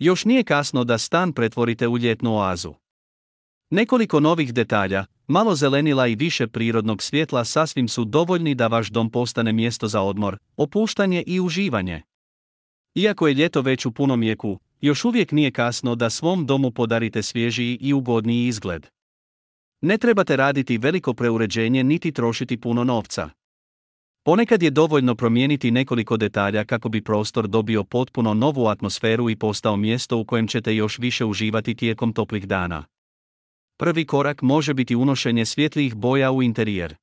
Još nije kasno da stan pretvorite u ljetnu oazu. Nekoliko novih detalja, malo zelenila i više prirodnog svjetla sasvim su dovoljni da vaš dom postane mjesto za odmor, opuštanje i uživanje. Iako je ljeto već u punom jeku, još uvijek nije kasno da svom domu podarite svježiji i ugodniji izgled. Ne trebate raditi veliko preuređenje niti trošiti puno novca. Ponekad je dovoljno promijeniti nekoliko detalja kako bi prostor dobio potpuno novu atmosferu i postao mjesto u kojem ćete još više uživati tijekom toplih dana. Prvi korak može biti unošenje svjetlijih boja u interijer.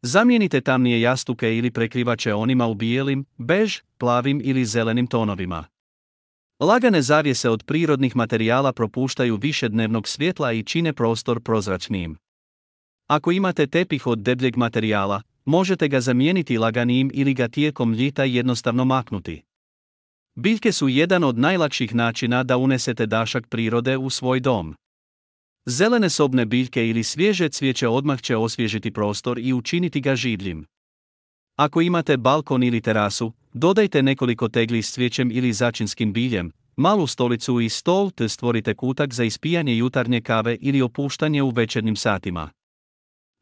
Zamijenite tamnije jastuke ili prekrivače onima u bijelim, bež, plavim ili zelenim tonovima. Lagane zavjese od prirodnih materijala propuštaju više dnevnog svjetla i čine prostor prozračnijim. Ako imate tepih od debljeg materijala, možete ga zamijeniti laganijim ili ga tijekom ljeta jednostavno maknuti. Biljke su jedan od najlakših načina da unesete dašak prirode u svoj dom. Zelene sobne biljke ili svježe cvijeće odmah će osvježiti prostor i učiniti ga življim. Ako imate balkon ili terasu, dodajte nekoliko tegli s cvijećem ili začinskim biljem, malu stolicu i stol te stvorite kutak za ispijanje jutarnje kave ili opuštanje u večernjim satima.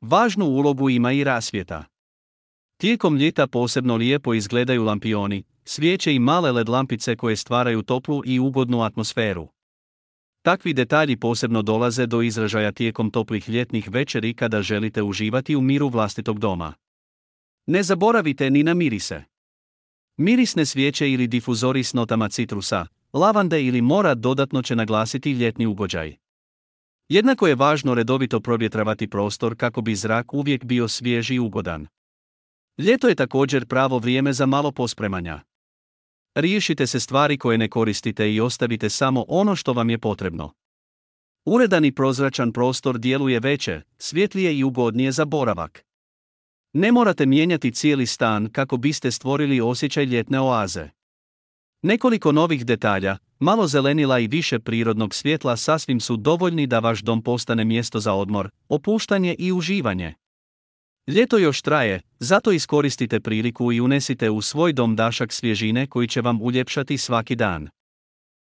Važnu ulogu ima i rasvjeta. Tijekom ljeta posebno lijepo izgledaju lampioni, svijeće i male LED lampice koje stvaraju toplu i ugodnu atmosferu. Takvi detalji posebno dolaze do izražaja tijekom toplih ljetnih večeri kada želite uživati u miru vlastitog doma. Ne zaboravite ni na mirise. Mirisne svijeće ili difuzori s notama citrusa, lavande ili mora dodatno će naglasiti ljetni ugođaj. Jednako je važno redovito provjetravati prostor kako bi zrak uvijek bio svjež i ugodan. Ljeto je također pravo vrijeme za malo pospremanja. Riješite se stvari koje ne koristite i ostavite samo ono što vam je potrebno. Uredan i prozračan prostor djeluje veće, svjetlije i ugodnije za boravak. Ne morate mijenjati cijeli stan kako biste stvorili osjećaj ljetne oaze. Nekoliko novih detalja, malo zelenila i više prirodnog svjetla sasvim su dovoljni da vaš dom postane mjesto za odmor, opuštanje i uživanje. Ljeto još traje, zato iskoristite priliku i unesite u svoj dom dašak svježine koji će vam uljepšati svaki dan.